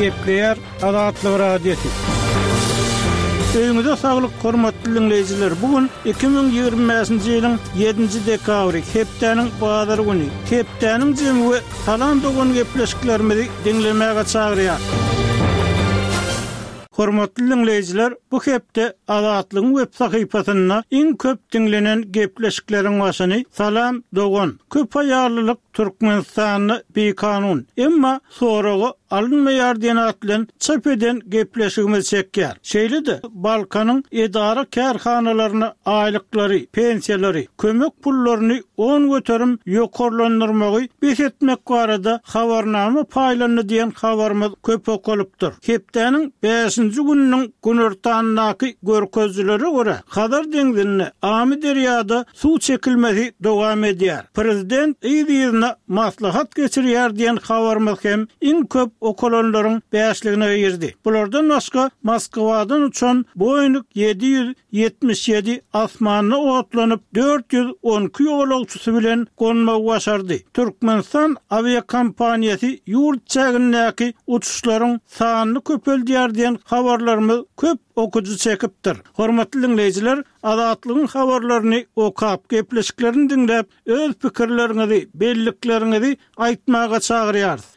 Gepleýär Azatlyk Radiosy. Öýüňize saglyk, hormatly diňleýjiler! Bu gün 2025-nji ýylyň ýedinji dekabry, hepdäniň bazar güni. Hepdäniň jemi we Salam dogan gepleşiklerimizi diňlemäge çagyrýar. Hormatly diňleýjiler, bu hepde Azatlygyň web sahypasynda iň köp diňlenen gepleşikleriň başyny Salam dogan, köp aýallylyk Türkmenistanda bikanun, emma soraga alynmaýar diýen at bilen çap eden gepleşigimiz çekýär. Şeýle-de Balkanyň edara-kärhanalaryna aýlyklary, pensiýalary, kömek pullaryny 10% ýokarlandyrmagy bes etmek barada habarnama paýlandy diýen habarymyz köp okalypdyr. Hepdäniň bäşinji gününiň günortandaky görkezijilere görä, Hazar deňzinde, Amyderýada suw çekilmesi dowam edýär. Prezident yz-yzyna maslahat geçirýär diýen habarymyz hem iň köp okalanlaryň bäşligine girdi. Bulardan başga Moskwadan uçan Boeing 777 asmanda otlanyp, 412 ýolagçysy bilen gonmagy başardy. Türkmenistan awiakompaniýasy ýurt çägindäki uçuşlaryň sanyny köpeldýär diýen habarlarymyz köp okyjy çekipdir. Hormatly diňleýjiler, Azatlygyň habarlaryny okap, gepleşiklerini diňläp, öz pikirleriňizi, bellikleriňizi aýtmaga çagyrýarys.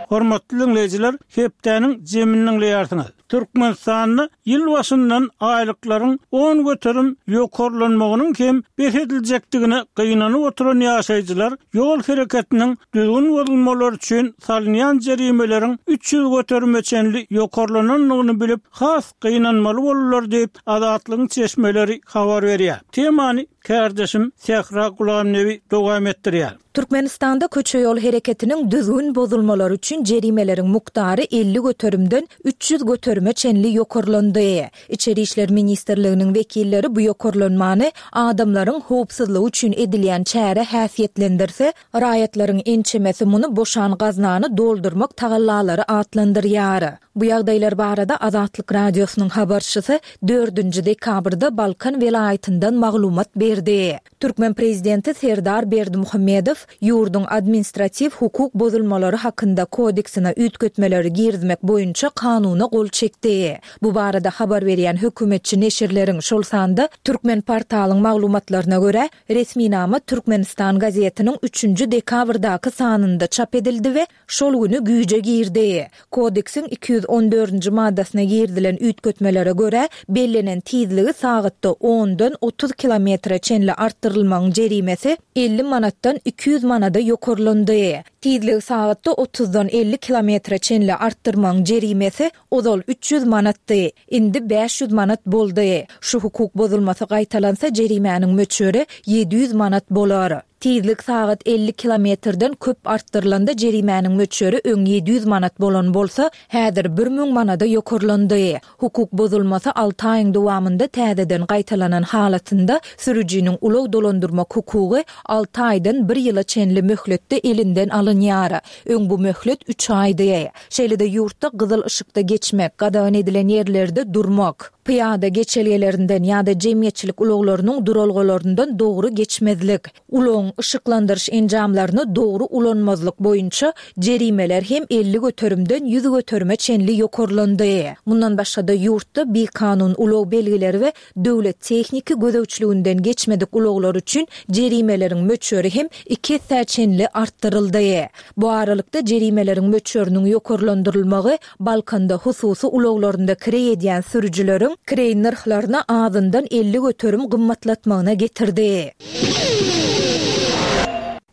Hormatly diňleýjiler, hepdäniň jemini diňleýärsiňiz. Türkmenistanda ýyl başyndan aýlyklaryň 10% ýokarlanmagynyň hem bes ediljekdigine gynanyp oturan ýaşaýjylar ýol hereketiniň düzgün bozulmalary üçin salynýan jerimeleriň 300 göterime çenli ýokarlanandygyny bilip, has gynanmaly boldular diýip, Azatlygyň çeşmeleri habar berýär. Temany kärdeşim Sähra Gulamnebi dowam etdirýär. Türkmenistanda köçe-ýol hereketiniň düzgün bozulmalary üçin jerimeleriň mukdary 50 göterimden 300 göterime çenli ýokarlandy. Içeri işler ministrliginiň wekilleri bu ýokarlanmany adamlaryň howpsuzlygy üçin edilýän çäre häsiýetlendirse, raýatlaryň ençemesi muny boşan gaznany doldurmak tagallalary atlandyrýar. Bu ýagdaýlar barada Azatlyk Radiosynyň habarçysy dördünji dekabrda Balkan welaýatyndan maglumat berdi. Türkmen prezidenti Serdar Berdimuhamedow ýurduň Administratiw hukuk bozulmalary hakynda kodeksine üýtgetmeleri girizmek boýunça kanuna gol çekdi. Bu barada habar berýän hökümetçi neşirleriň, şol sanda Türkmenportalyň maglumatlaryna görä, resminama Türkmenistan gazetiniň üçünji dekabrdaky sanynda çap edildi we Şol güni güýje girdi. Kodeksiň 214-nji maddasyna girizilen üýtgetmelere görä, bellenen tizligi sagatda ondan 30 kilometre çenli artdyrylmagyň jerimesi 50 manatdan 200 manada ýokarlandy. Tizligi sagatda otuzdan 50 kilometre çenli artdyrmagyň jerimesi ozal 300 manatdy, indi 500 manat boldy. Şu hukuk bozulmasy gaýtalansa jerimäniň möçberi 700 manat bolar. Tizlik sagat 50 kilometrden köp artdyrylanda jerimäniň möçberi öň 700 manat bolan bolsa, häzir 1000 manada ýokarlandy. Hukuk bozulmasy alty aýyň dowamynda täzeden gaýtalanan halatynda sürüjiniň ulag dolandyrmak hukugy alty aýdan bir ýyla çenli möhletde elinden alynýar. Öň bu möhlet üç aýdy. Şeýle-de ýurtda gyzyl yşykda geçmek, gadagan edilen ýerlerde durmak, pyýada geçelgelerinden ýa-da jemgyýetçilik ulaglarynyň duralgalaryndan dogry geçmezlik, ulagyň yşyklandyryş enjamlaryny dogry ulanmazlyk boýunça jerimeler hem 50 göterimden 100 göterime çenli ýokarlandy. Mundan başga-da ýurtda bikanun ulag belgileri we Döwlet tehniki gözegçiliginden geçmedik ulaglar üçin jerimeleriň möçberi hem iki essä çenli artdyryldy. Bu aralykda, jerimeleriň möçberiniň ýokarlandyrylmagy Balkanda hususy ulaglarynda kireý edýän sürüjileriň kireý nyrhlaryny azyndan 50% gymmatlatmagyna getirdi.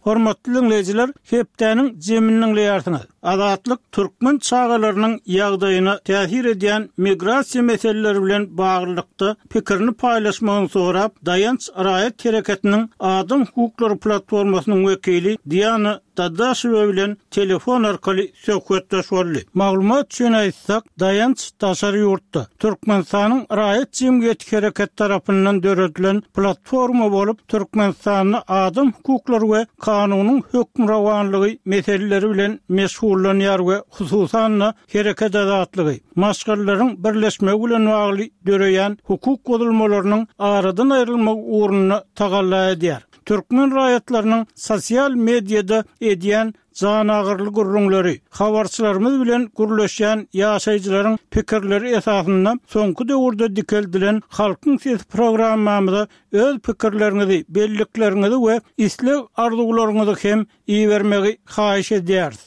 Hormatly diňleýjiler, hepdäniň jemini diňleýärsiňiz. Azatlyk türkmen çagalarynyň ýagdaýyna täsir edýän migrasiýa meseleleri bilen baglylykda pikirini paýlaşmagyny sorap, Daýanç raýat hereketiniň Adam hukuklary platformasynyň wekili Diana Dadaşewa bilen telefon arkaly söhbetdeş boldy. Maglumat üçin aýtsak, Daýanç daşary ýurtda Türkmenistanyň raýat jemgyýeti hereketi tarapyndan döredilen platforma bolup, Türkmenistanda adam hukuklary we kanunyň hökmürowanlygy meseleleri bilen meşgullanýar we hususan-da hereket azatlygy, maşgalalaryň birleşmegi bilen bagly döreýän hukuk bozulmalarynyň aradan aýrylmagy ugrunda tagalla edýär. Türkmen raýatlarynyň sosial mediada edýän janagyryly gürrüňleri, habarçylarymyz bilen gürleşýän ýaşaýjylaryň pikirleri esasynda soňky döwürde dikeldilen Halkyň sesi programmamyza öz pikirleriňizi, bellikleriňizi we isleg-arzuwlaryňyzy hem ibermegi haýyş edýäris.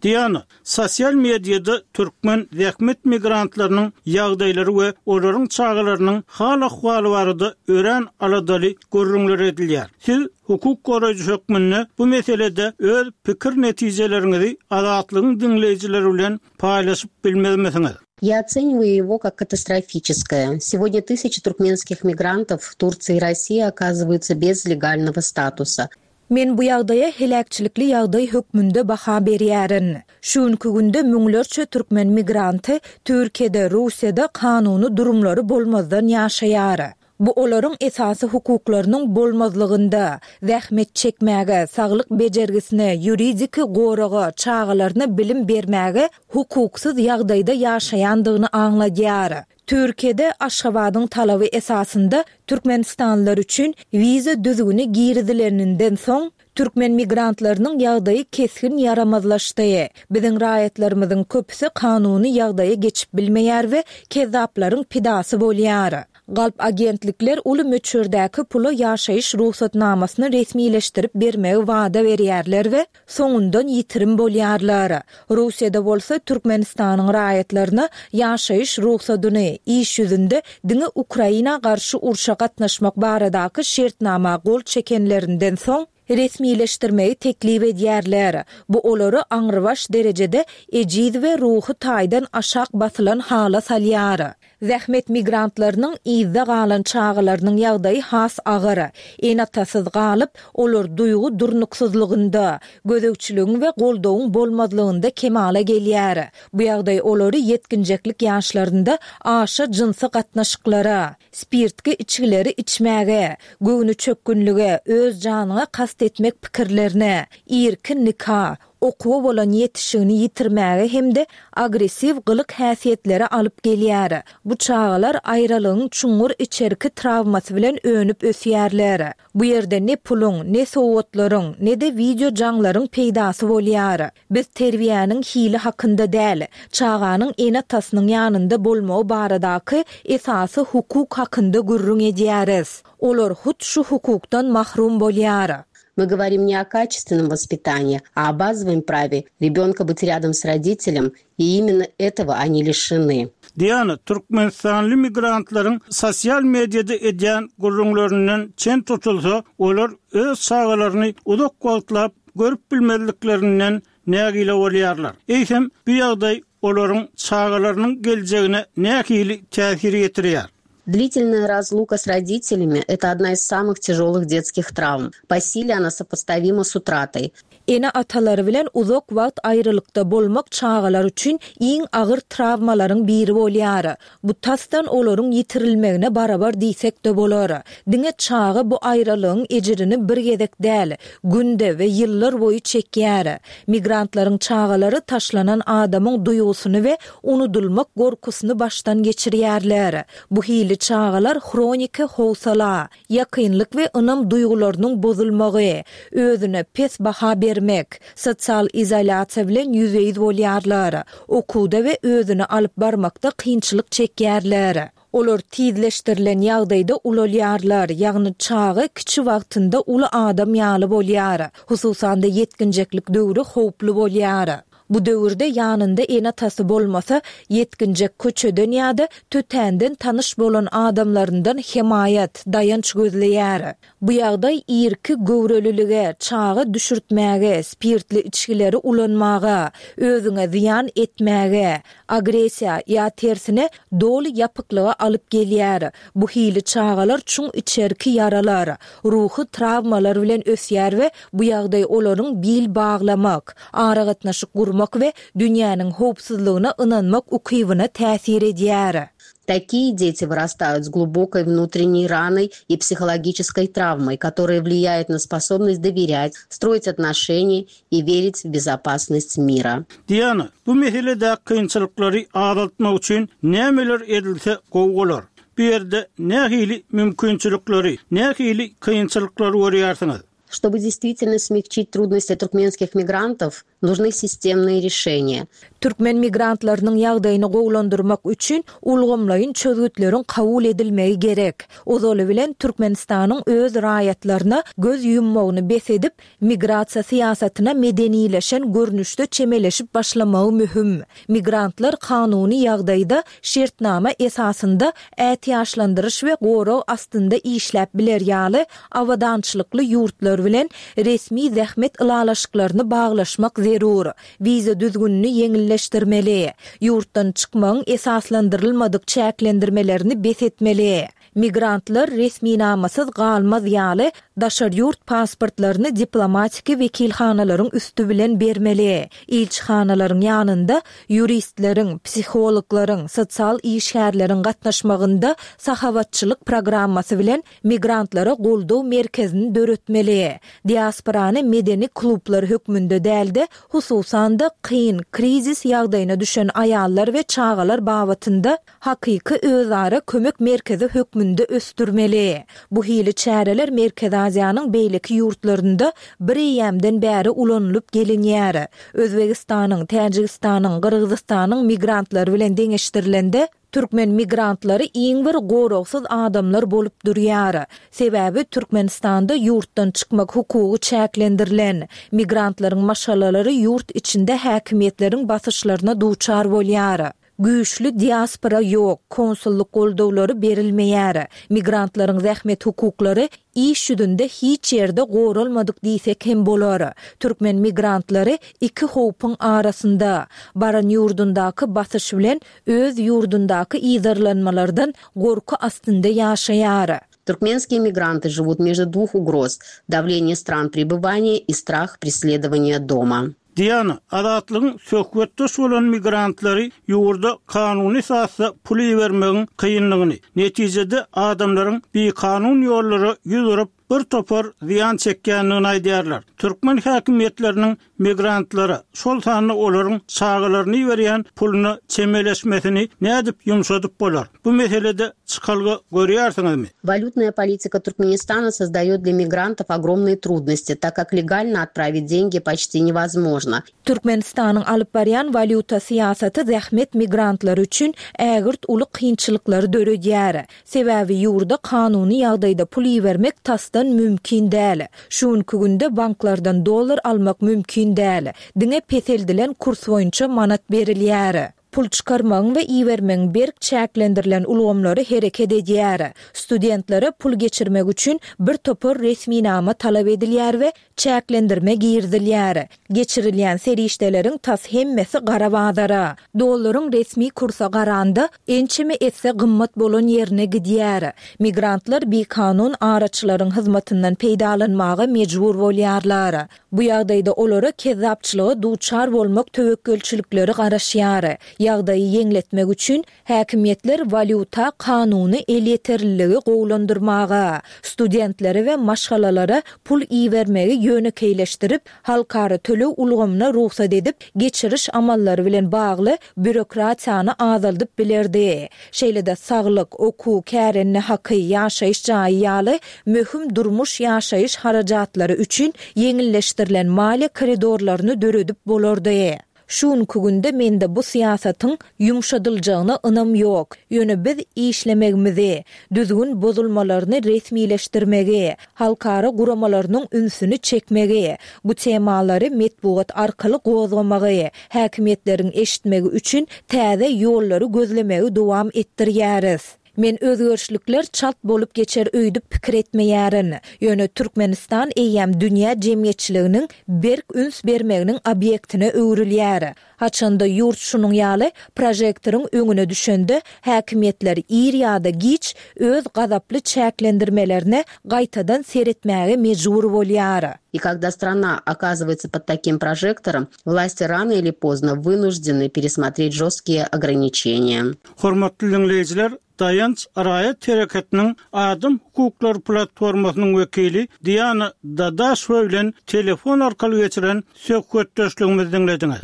Diana, sosial mediada türkmen zähmet migrantlarynyň ýagdaýlary we olaryň çagalarynyň hal-ahwaly barada örän aladaly gürrüňler edilýär. Siz hukuk goraýjy hökmünde bu meselede öz pikir netijeleriňizi Azatlygyň diňleýjileri bilen paýlaşyp bilmezmisiňiz? Я оцениваю его как катастрофическое. Сегодня тысячи туркменских мигрантов в Турции и России оказываются без легального статуса. Men bu ýagdaýa heläkçilikli ýagdaý hökmünde baha berýärin. Şu günki günde müňlerçe türkmen migranty Türkiýede, Russiýada kanuny durumlary bolmazdan ýaşaýar. Bu olaryň esasy hukuklarynyň bolmazlygynda, zähmet çekmäge, saglyk bejergisine, ýuridiki goraga, çagalaryna bilim bermäge hukuksyz ýagdaýda ýaşaýandygyny aňladýar. Türkiýede Aşgabadyň talaby esasynda türkmenistanlylar üçin wiza düzgüni girizileninden soň, türkmen migrantlarynyň ýagdaýy kesgin ýaramazlaşdy. Biziň raýatlarymyzyň köpüsi kanuny ýagdaýa geçip bilmeýär we kezzaplaryň pidasy bolýar. Galp agentlikler uly möçberdäki pula ýaşaýyş rugsatnamasyny resmileşdirip bermegi wada berýärler we soňundan ýitirim bolýarlar. Russiýada bolsa Türkmenistanyň raýatlaryna ýaşaýyş rugsadyny, iş ýüzünde diňe Ukraina garşy urşa gatnaşmak baradaky şertnama gol çekenlerinden soň, resmileşdirmegi teklip edýärler. Bu olary aňrybaş derejede ejiz we ruhy taýdan aşak basylan hala salýar. Zähmet migrantlarynyň yzda galan çagalarynyň ýagdaýy has agyr. Ene-atasyz galyp, olar duýgy durnuksyzlygynda, gözegçiligiň we goldawyň bolmazlygynda kemala gelýär. Bu ýagdaý olary ýetginjeklik ýaşlarynda aşa jynsy gatnaşyklara, spirtki içgileri içmäge, göwnüçökgünlige, öz janyňa kast etmek pikirlerine, irki nika, okuwa bolan ýetişigini ýitirmäge hem-de agressiw gylyk-häsiýetlere alyp gelýär. Bu çagalar aýralygyň çuňňur içerki trawmasy bilen önüp ösýärler. Bu ýerde ne puluň, ne sowgatlaryň, ne-de wideo jaňlaryň peýdasy bolýar. Biz terbiýäniň hili hakynda däl, çaganyň ene-atasynyň ýanynda bolmagy baradaky esasy hukuk hakynda gürrüň edýäris. Olar hut şu hukukdan mahrum bolýar. Мы говорим не о качественном воспитании, а о базовом праве ребенка быть рядом с родителем, и именно этого они лишены. Diana, türkmenistanly migrantlaryň sosial mediada edýän gürrüňlerinden çen tutulsa, olar öz çagalaryny uzak wagtlap görüp bilmezliklerinden nägile bolýarlar. Eýsem, bu ýagdaý olaryň çagalarynyň geljegine nähili täsir ýetirýär? Длительная разлука с родителями – это одна из самых тяжелых детских травм. По силе она сопоставима с утратой. Ene-atalary bilen uzak wagt aýralykda bolmak çagalar üçin iň agyr trawmalaryň biri bolýar. Bu tasdan olaryň ýitirilmegine barabar diýsek-de bolar. Diňe çaga bu aýralygyň ejirini bir gezek däl, günde we ýyllar boýy çekýär. Migrantlaryň çagalary taşlanan adamyň duýgusyny we unudylmak gorkusyny başdan geçirýärler. Bu hili çagalar hroniki howsala, ýakynlyk we ynam duýgularynyň bozulmagy, özüne pes baha bermek, sosial izolýasiýa bilen ýüzbe-ýüz bolýarlar, okuwda we özüni alyp barmakda kynçylyk çekýärler. Olar tizleşdirilen ýagdaýda ulalýarlar, ýagny çaga kiçi wagtynda uly adam ýaly bolýar. Hususan-da ýetginjeklik döwri howply bolýar. Bu döwürde ýanynda ene-atasy bolmasa, ýetginjek köçeden ýa-da tötänden tanyş bolan adamlaryndan hemaýat, daýanç gözleýär. Bu ýagdaý irki göwrelilige, çaga düşürtmäge, spirtli içgileri ulanmaga, özüňe zyýan etmäge, agressiýa ýa tersine, doly ýapyklyga alyp gelýär. Bu hili çagalar çuň içerki ýaralar, ruhy trawmalar bilen ösýär we bu ýagdaý olaryň bil baglamak, aragatnaşyk gurmak we dünýäniň howpsuzlygyna ynanmak ukybyna täsir edýär. Такие дети вырастают с глубокой внутренней раной и психологической травмой, которая влияет на способность доверять, строить отношения и верить в безопасность мира. Diana, bu meseledäki kynçylyklary azaltmak üçin nämeler edilse gowy bolar? Bu ýerde nähili mümkinçilikleri, nähili kynçylyklary görýärsiňiz? Чтобы действительно смягчить трудности туркменских мигрантов, нужны системные решения. Türkmen migrantlarynyň ýagdaýyny gowulandyrmak üçin ulgamlaýyn çözgütleriň kabul edilmegi gerek. Ozaly bilen Türkmenistanyň öz raýatlaryna göz ýummagyny bes edip, Migrasiýa syýasatyna medenileşen görnüşde çemeleşip başlamagy möhüm. Migrantlar kanuny ýagdaýda şertnama esasynda ätiýaçlandyryş we gorag astynda işläp biler ýaly abadançylykly ýurtlar bilen resmi zähmet ylalaşyklaryny baglaşmak zerur. Wiza düzgünini ýeňilleşdirmeli. Ýurtdan çykmagyň esaslandyrylmadyk çäklendirmelerini bes etmeli. Migrantlar resminamasyz galmaz ýaly, daşary ýurt pasportlaryny diplomatiki wekilhanalaryň üsti bilen bermeli. Ilçihanalaryň ýanynda ýuristleriň, psihologlaryň, sosial işgärleriň gatnaşmagynda sahawatçylyk programmasy bilen migrantlara goldaw merkezini döretmeli. Diasporany medeni klublar hökmünde däl-de, hususan-da, kyn, krizis ýagdaýyna düşen aýallar we çagalar babatynda hakyky özara kömek merkezi hökmünde ösdürmeli. Bu hili çäreler Merkezi Aziýanyň beýleki ýurtlarynda bir eýýämden bäri ulanylyp gelinýär. Özbegistanyň, Täjigistanyň, Gyrgyzystanyň migrantlary bilen deňeşdirilende, türkmen migrantlary iň bir goragsyz adamlar bolup durýar. Sebäbi Türkmenistanda ýurtdan çykmak hukugy çäklendirilen. Migrantlaryň maşgalalary ýurt içinde häkimiýetleriň basyşlaryna duçar bolýar. Güýçli diaspora ýok, konsullyk goldawlary berilmeýär. Migrantlaryň zähmet hukuklary iş ýüzünde hiç ýerde goralmadyk diýsek hem bolar. Türkmen migrantlary iki howpuň arasynda, baran ýurdundaky basyş bilen öz ýurdundaky yzarlanmalardan gorky astynda ýaşaýar. Туркменские мигранты живут между двух угроз, давление стран пребывания и страх преследования дома. Diana, Azatlygyň söhbetdeş bolan migrantlary ýurda kanuny esasda pul ibermegiň kynlygyny, netijede adamlaryň bikanun ýollara ýüz urup, bir topar zyýan çekýändigini aýdýarlar. Türkmen häkimiýetleriniň migrantlara, şol sanda olaryň çagalaryna iberýän puluna çemeleşmesini nädip ýumşadyp bolar? Bu meselede çykalga görýärsiňizmi? Walýutnaýa politika Türkmenistana sozdaýot dlya migrantow ogromnyye trudnosti, tak kak legalno otpravit dengi počti newozmožno. Türkmenistanyň alyp barýan walýuta syýasaty zähmet migrantlary üçin ägirt uly kynçylyklary döredýär. Sebäbi ýurda kanuny ýagdaýda pul ibermek tasdan mümkin däl. Şu günki günde banklardan dollar almak mümkin däl. Diňe peseldilen kurs boýunça manat berilýär. Pul çykarmagyň we ibermegiň berk çäklendirilen ulgamlary hereket edýär. Studentlere pul geçirmek üçin bir topar resminama talap edilýär we çäklendirme girizilýär. Geçirilýän serişdeleriň tas hemmesi gara bazara, dollaryň resmi kursa garanda ençeme esse gymmat bolan ýerine gidýär. Migrantlar bikanun araçylaryň hyzmatyndan peýdalanmaga mejbur bolýarlar. Bu ýagdaýda olara kezzapçylyga duçar bolmak töwekgelçilikleri garaşýar. Ýagdaýy ýeňletmek üçin, häkimiýetler walýuta kanuny elýeterliligi gowulandyrmaga, studentlere we maşgalalara pul ibermegi ýönekeýleşdirip, halkara töleg ulgamyna rugsat edip, geçiriş amallary bilen bagly býurokratiýany azaldyp bilerdi. Şeýle-de saglyk, okuw, kärende haky, ýaşaýyş jaýy ýaly möhüm durmuş-ýaşaýyş harajatlary üçin ýeňilleşdirilen maliýe koridorlaryny döredip bolardy. Şu günki günde mende bu syýasatyň ýumşadyljagyna ynam ýok. Ýöne biz işlemegimizi, düzgün bozulmalaryny resmileşdirmegi, halkara guramalarynyň ünsüni çekmegi, bu temalary metbugat arkaly gozgamagy, häkimiýetleriň eşitmegi üçin täze ýollary gözlemegi dowam etdirýäris. Men özgerişlikler çalt bolup geçer öýdüp pikir etmeýärin. Ýöne Türkmenistan eýýäm dünýä jemgyýetçiliginiň berk üns bermeginiň obýektine öwrülýär. Haçanda ýurt şunuň ýaly prožektoryň öňüne düşende, häkimiýetler ir ýa-da giç öz gazaply çäklendirmelerine gaýtadan seretmäge mejbur bolýar. И когда страна оказывается под таким прожектором, власти рано или поздно вынуждены пересмотреть жесткие ограничения. Hormatly diňleýjiler, Daýanç raýat hereketiniň Adam hukuklary platformasynyň wekili Diana Dadaşewa bilen telefon arkaly geçiren söhbetdeşligimizi diňlediňiz.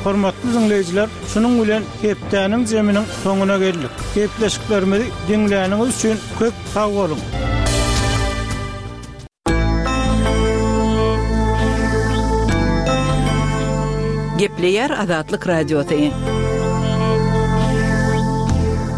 Hormatly diňleýjiler, şunuň bilen hepdäniň jeminiň soňuna geldik. Gepleşiklerimizi diňläniňiz üçin köp sag boluň! Gepleýär Azatlyk Radiosy.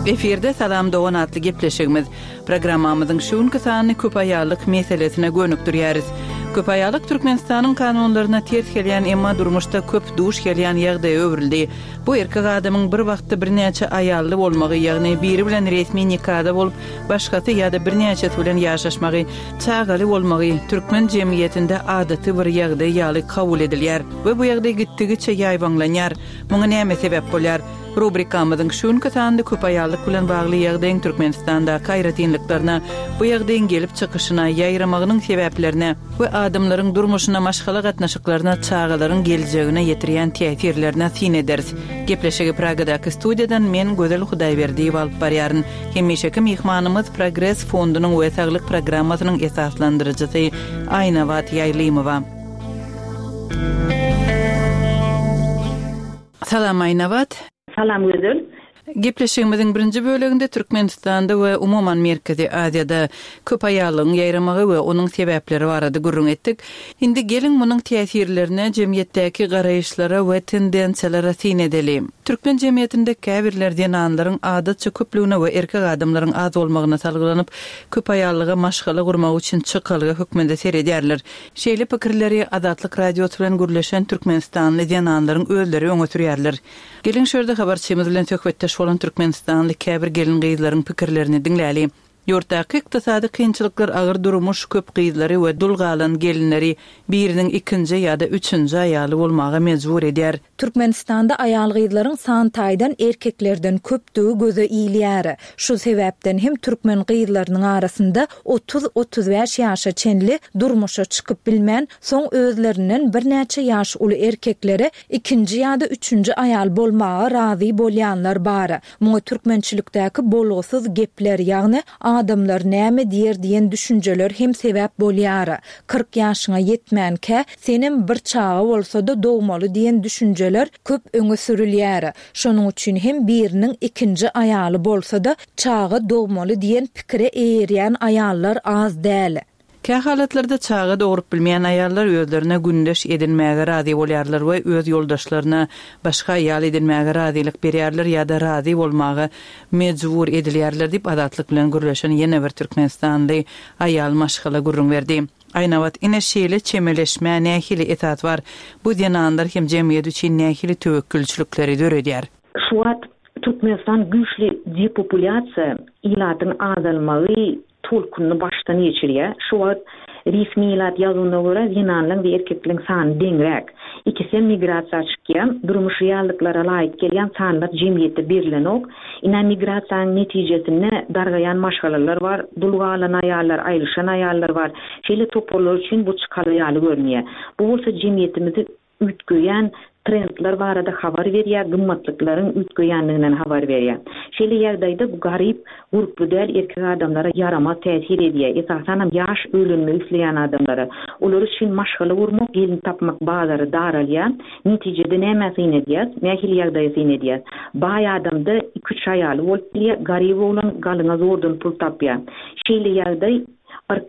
Efirde Salam dogan atly gepleşigimiz. Programmamyzyň şu günki sanyny köp aýallyk meselesine gönükdirýäris. Köp aýallyk Türkmenistanyň kanunlaryna ters gelýän, emma durmuşda köp duş gelýän ýagdaýa öwrüldi. Bu erkek adamyň bir wagtda birnäçe aýally bolmagy, ýagny biri bilen resmi nikada bolup, başgasy ýa-da birnäçesi bilen ýaşaşmagy, çagaly bolmagy türkmen jemgyýetinde adaty bir ýagdaý ýaly kabul edilýär we bu ýagdaý gitdigiçe ýaýbaňlanýar. Muňa näme sebäp bolýar? Rubrikamyzyň şu günki sanynda köpaýallyk bilen bagly ýagdaýyň Türkmenistandaky aýratynlyklaryna, bu ýagdaýyň gelip çykyşyna, ýaýramagynyň sebäplerine we adamlaryň durmuşyna, maşgala gatnaşyklaryna, çagalaryň geljegine ýetirýän täsirlerine syn ederis. Gepleşigi Pragadaky studiýadan men, Gözel Hudaýberdiýewa alyp barýaryn. Hemişeki myhmanymyz Progres fondunyň we Saglyk programmasynyň esaslandyryjysy Aýnabat Ýaýlymowa. Salam Aýnabat. Salam Gözel. Gepleşigimiziň birinji böleginde Türkmenistanda we umuman Merkezi Aziýada köp aýallygyň ýaýramagy we onuň sebäpleri barada gürrüň etdik. Indi geliň munuň täsirlerine, jemgyýetdäki garaýyşlara we tendensiýalara syn edeli. Türkmen jemgyýetinde käbirler zenanlaryň adatça köplügine we erkek adamlaryň az bolmagyna salgylanyp, köp aýallyga maşgala gurmak üçin çykalga hökmünde seredýärler. Şeýle pikirleri Azatlyk Radiosy bilen gürleşen türkmenistanly zenanlaryň özleri öňe sürýärler. Geliň şu ýerde habarçymyz bilen söhbetdeş bolan türkmenistanly käbir gelin-gyzlaryň pikirlerini diňläli. Ýurtdaky ykdysady kynçylyklar agyr durmuş köp gyzlary we dul galan gelinleri biriniň ikinji ýa-da üçünji aýaly bolmaga mejbur edýär. Türkmenistanda aýal-gyzlaryň san taýdan erkeklerden köpdügi göze ilýär. Şu sebäpden hem türkmen gyzlarynyň arasynda 30-35 ýaşa çenli durmuşa çykyp bilmän, soň özlerinden birnäçe ýaş uly erkeklere ikinji ýa-da üçünji aýal bolmaga razy bolýanlar bar. Muňa türkmençilikdäki bolgusyz gepler, ýagny adamlar näme diýer diýen düşünjeler hem sebäp bolýar. 40 ýaşyňa ýetmänkä, senem bir çaga bolsa-da dogmaly diýen düşünjeler köp öňe sürülýär. Şonuň üçin hem biriniň ikinji aýaly bolsa-da, çaga dogmaly diýen pikire eýerýän aýallar az däl. Kähalatlarda çaga dogrup bilmeýän aýallar özlerine gündeş edinmäge razy bolýarlar we öz ýoldaşlaryna başga aýal edinmäge razylyk berýärler ýa-da razy bolmaga mejbur edilýärler diýip, Azatlyk bilen gürleşen ýene bir türkmenistanly aýal maşgala gürrüň berdi. Aýnabat, ine şeýle çemeleşmä nähili esas bar? Bu zenanlar hem jemgyýet üçin nähili töwekgelçilikleri döredýär? Şu wagt Türkmenistan güýçli depopulýasiýa, ilatyň azalmagy, tolkunyny başdan geçirýär. Şu wagt resmi ilat ýazuwyna görä zenanlaryň we erkekleriň sany deňräk. Ikisem migrasiýa çykýar. Durmuş reallyklara laýyk gelýän sanlar jemgyýetde berilenok. Ine migrasiýanyň netijesinde dargaýan maşgalalar bar, dul galan aýallar, aýrylyşan aýallar bar. Şeýle toparlar üçin bu çykalga ýaly görünýär. Bu bolsa jemgyýetimizi üýtgeýän trendler barada habar berýär, gymmatlyklaryň üýtgeýändiginden habar berýär. Şeýle ýagdaýda bu garyp, gurply däl erkek adamlara ýaramaz täsir edýär, esasanam ýaş öýlenmek isleýän adamlara. Olar üçin maşgala gurmak, gelin tapmak bazary daralýar. Netijede nämä syn edýäs? Nähili ýagdaýa syn edýäs? Baý adamda iki-üç aýaly bolup bilýär, garyp oglan galyňa zordan pul tapýar. Şeýle ýagdaý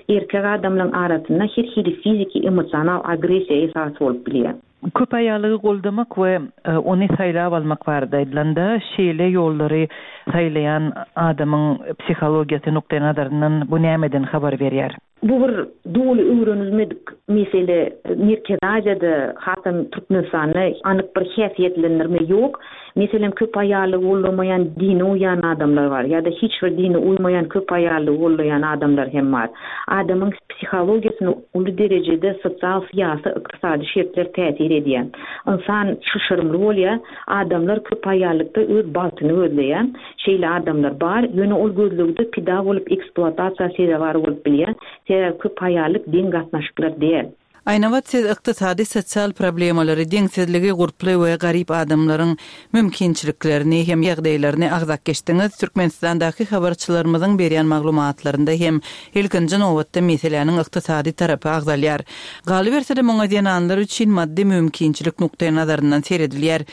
Erkek adamlaryň arasynda her hili fiziki, emosional agressiýa esas bolup bilýär. Köp aýallygy goldamak we ony saýlap almak barada aýdylanda, şeýle ýollary saýlaýan adamyň psihologiýasy nukdaýnazaryndan bu nämeden habar berýär? Bu bir doly öwrenilmedik mesele. Merkezi Aziýada, hasam Türkmenistanda anyk bir häsiýetlendirme ýok. Meselem, köp aýallygy goldamaýan dine uýýan adamlar bar, ýa-da hiç bir dine uýmaýan köp aýallygy goldaýan adamlar hem bar. Adamyň psihologiýasyna uly derejede sosial, syýasy, ykdysady şertler täsir edýär. Ynsan çylşyrymly bolýar. Adamlar köp aýallykda öz bagtyny gözleýär. Şeýle adamlar bar, ýöne ol gözlegde pida bolup ekspluatasiýa sezewar bolup bilýär. Sebäbi köp aýallyk deň gatnaşyklar däl. Aýnabat siz ykdysady sosial problemalary, deňsizligi, gurply we garyp adamlaryň mümkinçiliklerini hem ýagdaýlaryny agzap geçdiňiz. Türkmenistandaky habarçylarymyzyň berýän maglumatlarynda hem ilkinji nobatda meseläniň ykdysady tarapy agzalýar. Galyberse-de muňa zenanlar üçin maddy mümkinçilik nukdaýnazaryndan seredilýär.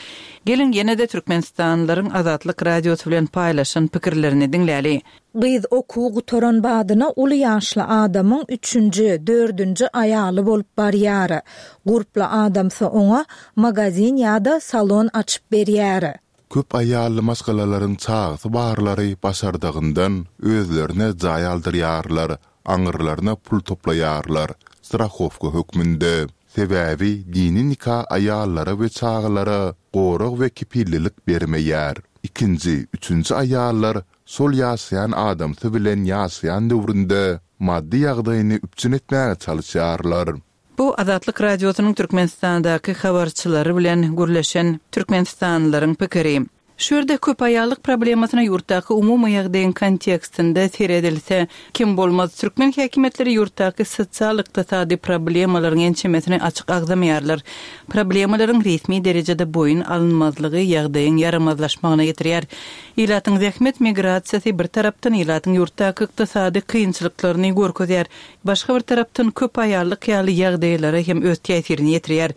Geliň ýene-de türkmenistanlylaryň Azatlyk Radiosy bilen paýlaşan pikirlerini diňläli. Gyz okuwy gutaran badyna uly ýaşly adamyň üçünji, dördünji aýaly bolup barýar. Gurply adamsy oňa magazin ýa-da salon açyp berýär. Köp aýally maşgalalaryň çagasy barlary başardygyndan özlerine jaý aldyrýarlar, aňyrlaryna pul toplaýarlar, strahowka hökmünde. Sebäbi dini nika aýallara we çagalara gorag we kepillilik bermeýär. Ikinji, üçünji aýallar şol ýaşaýan adamsy bilen ýaşaýan döwründe maddy ýagdaýyny üpjün etmäge çalyşýarlar. Bu Azatlyk Radiosynyň Türkmenistandaky habarçylary bilen gürleşen türkmenistanlylaryň pikiri. Şu ýerde köp aýallyk problemasyna ýurtdaky umumy ýagdaýyň kontekstinde seredilse, kem bolmaz. Türkmen häkimiýetleri ýurtdaky sosial-ykdysady problemalaryň ençemesini açyk agzamaýarlar. Problemalaryň resmi derejede boýun alynmazlygy ýagdaýyň ýaramazlaşmagyna getirýär. Ilatyň zähmet migrasiýasy bir tarapdan ilatyň ýurtdaky ykdysady kynçylyklaryny görkezýär, başga bir tarapdan köp aýallyk ýaly ýagdaýlara hem öz täsirini ýetirýär.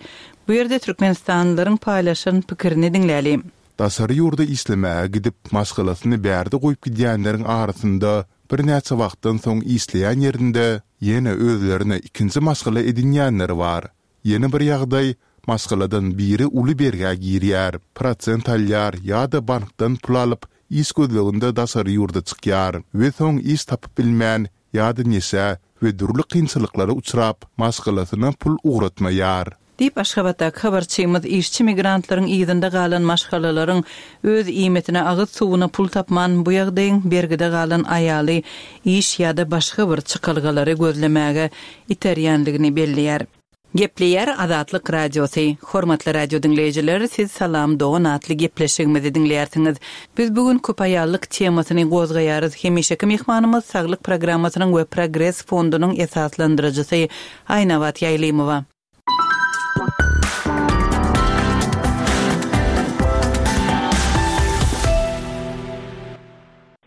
Bu ýerde türkmenistanlylaryň paýlaşan pikirini diňläli. Daşary ýurda işlemäge gidip, maşgalasyny bärde goýup gidýänleriň arasynda birnäçe wagtdan soň işleýän ýerinde ýene özlerine ikinji maşgala edinýänleri bar. Ýene bir ýagdaý, maşgaladan biri uly bergä girýär, prosent alýar ýa-da bankdan pul alyp, iş gözleginde daşary ýurda çykýar we soň iş tapyp bilmän ýa-da neşä we dürli kynçylyklara uçrap, maşgalasyna pul ugratmaýar. Diýip, Aşgabatdaky habarçymyz işçi migrantlaryň yzynda galan maşgalalaryň öz iýmitine, agyz suwuna pul tapman, bu ýagdaýyň bergide galan aýaly iş ýa-da başga bir çykalgalary gözlemäge iterýänligini belleýär. Gepleýär Azatlyk Radiosy. Hormatly radio diňleýjiler, siz Salam dogan atly gepleşigimizi diňleýärsiňiz. Biz bu gün köpaýallyk temasyny gozgaýarys. Hemişeki myhmanymyz Saglyk programmasynyň we Progres fondunyň esaslandyryjysy Aýnabat Ýaýlymowa.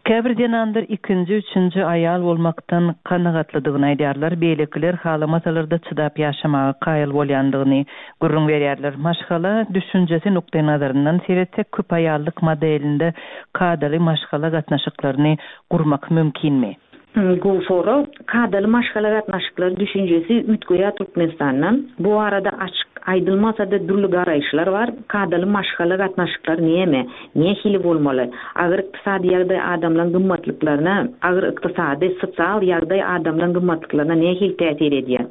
Käbir zenanlar ikinji, üçünji aýal bolmakdan kanagatlydygyny aýdýarlar, beýlekiler halamasalar-da çydap ýaşamaga kaýyl bolýandygyny gürrüň berýärler. Maşgala düşünjesi nukdaýnazaryndan seretsek, köpaýallyk modelinde kadaly maşgala gatnaşyklaryny gurmak mümkinmi? Gowy sorag. Kadaly maşgala gatnaşyklary düşünjesi üýtgeýär Türkmenistanda. Bu barada açyk aýdylmasa-da dürli garaýyşlar bar. Kadaly maşgala gatnaşyklary näme? Nähili bolmaly? Agyr ykdysady ýagdaý adamlaryň gymmatlyklaryna, agyr ykdysady, sosial ýagdaý adamlaryň gymmatlyklaryna nähili täsir edýär?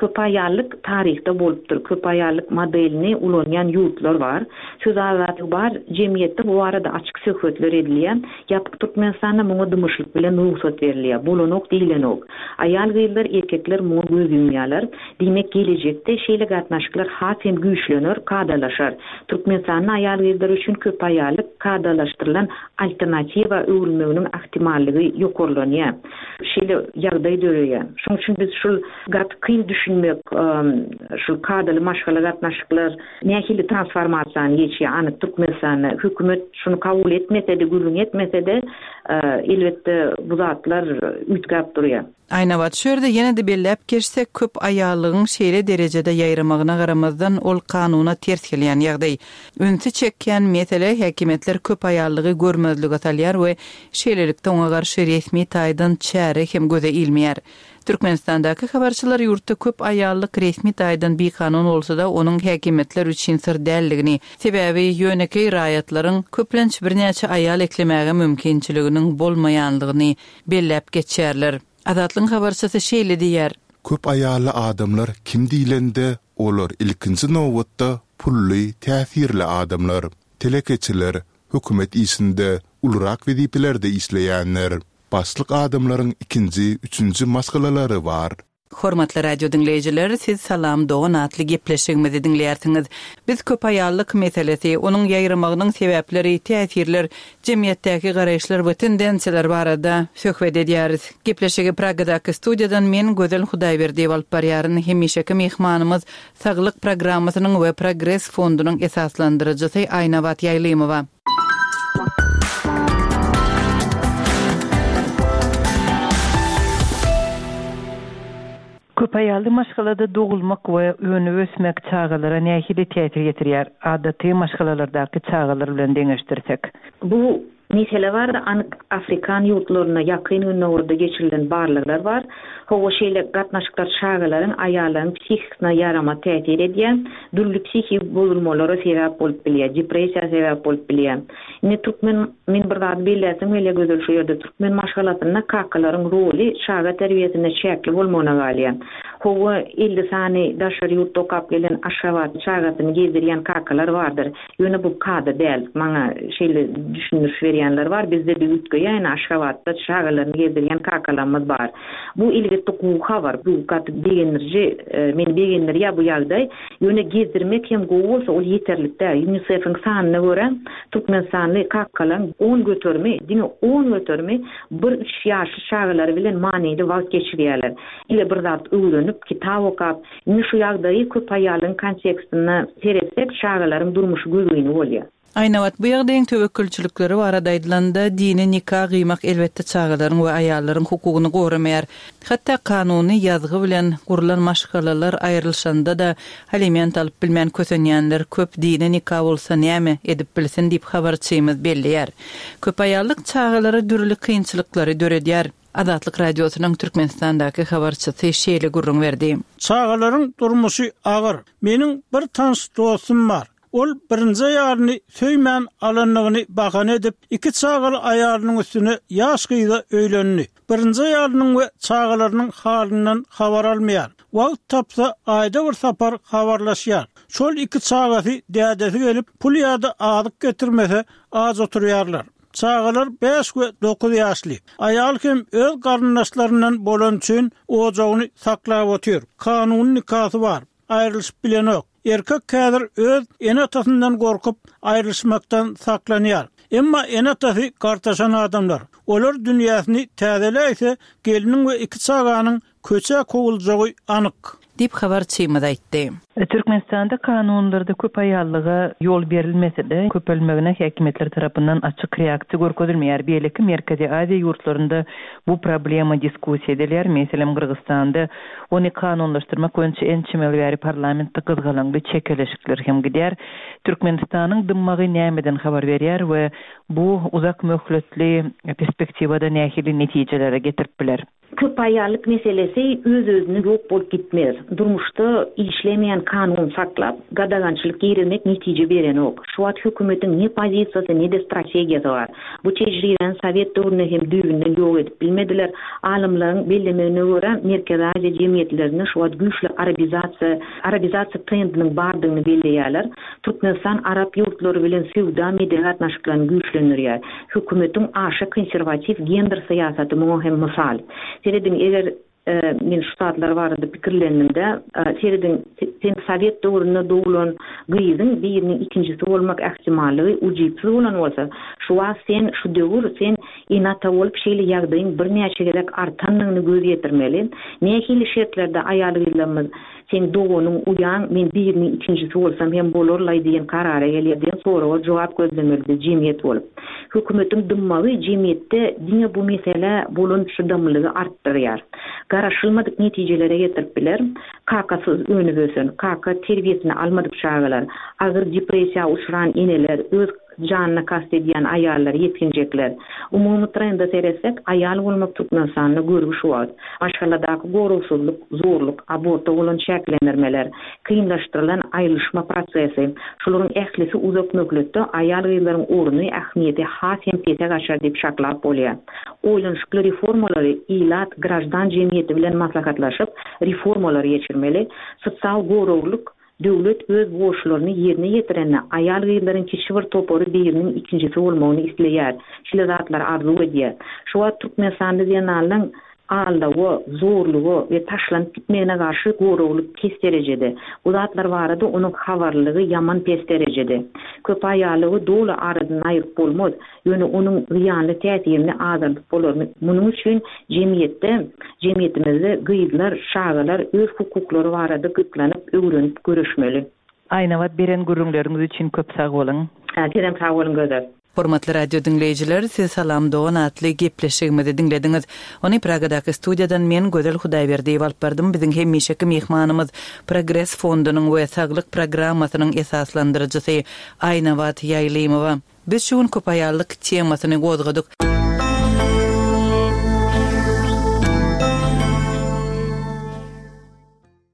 Köpaýallyk taryhda bolupdyr. Köpaýallyk modelini ulanýan ýurtlar bar. Söz azatlygy bar. Jemgyýetde bu barada açyk söhbetler edilýär. Ýapyk Türkmenistanda muňa dymyşlyk bilen rugsat berilýär. Bolanok diýlenok. Aýal-gyzlar, erkekler muňa göz ýumýarlar. Diýmek, gelejekde şeýle gatnaşyklar has hem güýçlener, kadalaşar. Türkmenistanda aýal-gyzlar üçin köpaýallyk kadalaşdyrylan alternatiwa öwrülmeginiň ahtimallygy ýokarlanýar. Şeýle ýagdaý döreýär. Şonuň üçin biz şul gaty kyn düşünmek, şul kadaly maşgala gatnaşyklar, Nähili transformasiýany geçýär anyk Türkmenistanda? Hökümet şuny kabul etmese-de, gürrüň etmese-de, elbetde bu zatlar üýtgäp durýar. Aýnabat, şu ýerde ýene-de belläp geçsek, köp aýallygyň şeýle derejede ýaýramagyna garamazdan, ol kanuna ters gelýän ýagdaý. Ünsi çekýän mesele, häkimiýetler köp aýallygy görmezlige salýar we şeýlelikde oňa garşy resmi taýdan çäre hem göze ilmeýär. Türkmenistandaky habarçylar ýurtda köp aýallyk resmi taýdan bikanun bolsa-da, onuň häkimiýetler üçin syr däldigini, sebäbi ýönekeý raýatlaryň köplenç birnäçe aýal eklemäge mümkinçiliginiň bolmaýanlygyny belläp geçýärler. Azatlygyň habarçysy şeýle diýýär. Köp aýally adamlar kim diýlende, olar ilkinji nobatda pully, täsirli adamlar. Telekeçiler, hökümet işinde, ulurak wezipelerde işleýänler. Başlyk adamlaryň ikinji, üçünji maşgalalary bar. Hormatly radio diňleýjiler, siz Salam dogan atly gepleşigimizi diňleýärsiňiz. Biz köpaýallyk meselesi, onuň ýaýramagynyň sebäpleri, täsirler, jemgyýetdäki garaýyşlar we tendensiýalar barada söhbet edýäris. Gepleşigi Pragadaky studiýadan men Gözel Hudaýberdiýewa alyp barýaryn. Hemişeki myhmanymyz Saglyk programmasynyň we Progres fondunyň esaslandyryjysy Aýnabat Ýaýlymowa. Köp aýally maşgalada dogulmak we önüp-ösmek çagalara nähili täsir ýetirýär, adaty maşgalalardaky çagalar bilen deňeşdirsek? Bu Mesele barada anyk afrikan ýurtlarynda Ýakyn Gündogarda geçirilen barlaglar bar. Hawa, şeýle gatnaşyklar çagalaryň, aýallaryň psihikasyna ýaramaz täsir edýär, dürli psihiki bozulmalara sebäp bolup bilýär, depressiýa sebäp bolup bilýär. Indi türkmen, men bir zady belläsim gelýär Gözel şu ýerde, türkmen maşgalasynda kakalaryň roly çaga terbiýesinde çäkli bolmagyna galýar. Hawa, 50 sany daşary ýurtda okap gelen Aşgabatda çagasyny gezdirýän kakalar bardyr. Ýöne bu kada däl. Maňa şeýle düşündiriş berýänler bar, bizde-de üýtgeýär, ine Aşgabatda çagalaryny gezdirýän kakalarymyz bar. Bu elbetde gowy habar, bu gaty begendiriji, meni begendirýär bu ýagdaý. Ýöne gezdirmek hem gowy bolsa, ol ýeterlik däl. UNICEF-iň sanyna görä, türkmenistanly kakalaryň on göterimi, diňe on göterimi bir-üç ýaşly çagalary bilen manyly wagt geçirýärler. Ile bir zat öwrenip, kitap okap, Indi şu ýagdaýy köp aýalyň kontekstinde seretsek, çagalaryň durmuşy gözgyny bolýar. Aýnabat, bu ýagdaýyň töwekgelçilikleri barada aýdylanda, dini nika gyýmak elbetde çagalaryň we aýallaryň hukugyny goramaýar. Hatda kanuny ýazgy bilen gurlan maşgalalar aýrylyşanda-da aliment alyp bilmän kösenýänler köp, dini nika bolsa näme edip bilsin diýip habarçymyz belleýär. Köp aýallyk çagalara dürli kynçylyklary döredýär. Azatlyk Radiosynyň Türkmenistandaky habarçysy şeýle gürrüň berdi. Çagalaryň durmuşy agyr. Meniň bir tanyş dostum bar. Ol birinji aýalyny söýmän alandygyny bahana edip, iki çagaly aýalynyň üstüne ýaş gyza öýlendi. Birinji aýalynyň we çagalarynyň halyndan habar almaýar. Wagt tapsa, aýda bir sapar habarlaşýar. Şol iki çagasy dädesi gelip, pul ýa-da azyk getirmese, aç oturýarlar. Çagalar bäş we dokuz ýaşly. Aýal hem öz garyndaşlaryndan bolany üçin ojagyny saklap otyr. Kanuny nikasy bar. Aýrylyşyp bilenok. Erkek häzir öz ene-atasyndan gorkup, aýrylyşmakdan saklanýar. Emma ene-atasy gartaşan adamlar. Olar dünýäsini täzeläýse, gelniň we iki çaganyň Köçä kowuljagy anyk. Diýip, habarçymyz aýtdy. Türkmenistanda kanunlarda köp aýallyga ýol berilmese-de, köpelmegine häkimiýetler tarapyndan açyk reaksiýa görkezilmeýär. Beýleki Merkezi Aziýa ýurtlarynda bu problema diskussiýa edilýär. Meselem, Gyrgyzystanda ony kanunlaşdyrmak boýunça ençeme ýyl bäri parlamentde gyzgalaňly çekeleşikler hem gidýär. Türkmenistanyň dymmagy nämeden habar berýär we bu uzak möhletli perspektiwada nähili netijelere getirip biler? Köpaýallyk meselesi öz-özüne ýok bolup gitmez. Durmuşda işlemeýän kanun saklap, gadagançylyk girizmek netije berenok. Şu wagt hökümetiň ne pozisiýasy, ne-de strategiýasy bar. Bu tejribäni sowet döwründe hem düýbünden ýok edip bilmediler. Alymlaryň bellemegine görä, Merkezi Aziýa jemgyýetlerinde şu wagt güýçli arabizasiýa, arabizasiýa trendiniň bardygyny belleýärler. Türkmenistan arap ýurtlary bilen söwda-medeni gatnaşyklaryny güýçlendirýär. Hökümetiň aşa konserwatiw gender syýasaty muňa hem mysal. Serediň, eger men şu zatlar barada pikirlendim-de, serediň, sen sowet döwründe doglan gyzyň biriniň ikinjisi bolmak ähtimallygy ujypsyz bolan bolsa, şu wagt sen, şu döwür sen ene-ata bolup şeýle ýagdaýyň birnäçe gezek artandygyny göz ýetirmeli. Nähili şertlerde aýal-gyzlarymyz Seň doganyň, uýaň men biriniň ikinjisi bolsam hem bolar-laý diýen karara gelýär diýen soraga jogap gözlemeli biz jemgyýet bolup. Hökümetiň dymmagy jemgyýetde diňe bu meselä bolan çydamlylygy artdyrýar. Garaşylmadyk netijelere getirip biler, kakasyz önüp ösen, kaka terbiýesini almadyk çagalar, agyr depressiýa uçran eneler, öz Janyna kast edýän aýallar, ýetginjekler. Umumy trende seretsek, aýal bolmak Türkmenistanda görgi şu wagt. Maşgaladaky goragsyzlyk, zorluk, aborta bolan çäklendirmeler, kynlaşdyrylan aýrylyşma prosesi, şularyň ählisi uzak möhletde aýal-gyzlaryň orny, ähmiýeti has hem pese gaçar diýip çaklap bolýar. Oýlanyşykly reformalary ilat, graždan jemgyýeti bilen maslahatlaşyp, reformalary geçirmeli. Sosial goraglyk Döwlet öz borçlaryny ýerine ýetirende aýal-gyzlaryň kiçi bir topary biriniň ikinjisi bolmagyny isleýär, şeýle zatlary arzuw edýär. Şu wagt türkmenistanly zenanlaň. Aldawa, zorluga we taşlanyp gitmegine garşy goraglyk pes derejede. Bu zatlar barada onuň habarlylygy ýaman pes derejede. Köpaýallygy doly aradan aýryp bolmaz, ýöne onuň zyýanly täsirini azaldyp bolar. Munuň üçin jemgyýetde, jemgyýetimizde gyzlar, çagalar öz hukuklary barada gyzyklanyp, öwrenip göreşmeli. Aýnabat beren gürrüňleriňiz üçin köp sag boluň. Sizem sag boluň Gözel. Hormatly radio diňleýjiler, siz Salam dogan atly gepleşigimizi diňlediňiz. Ony Pragadaky studiýadan men Gözel Hudaýberdiýewa alyp bardym. Biziň hemişeki myhmanymyz Progres fondunyň we Saglyk programmasynyň esaslandyryjysy Aýnabat Ýaýlymowa. Biz şu gün köpaýallyk temasyny gozgadyk.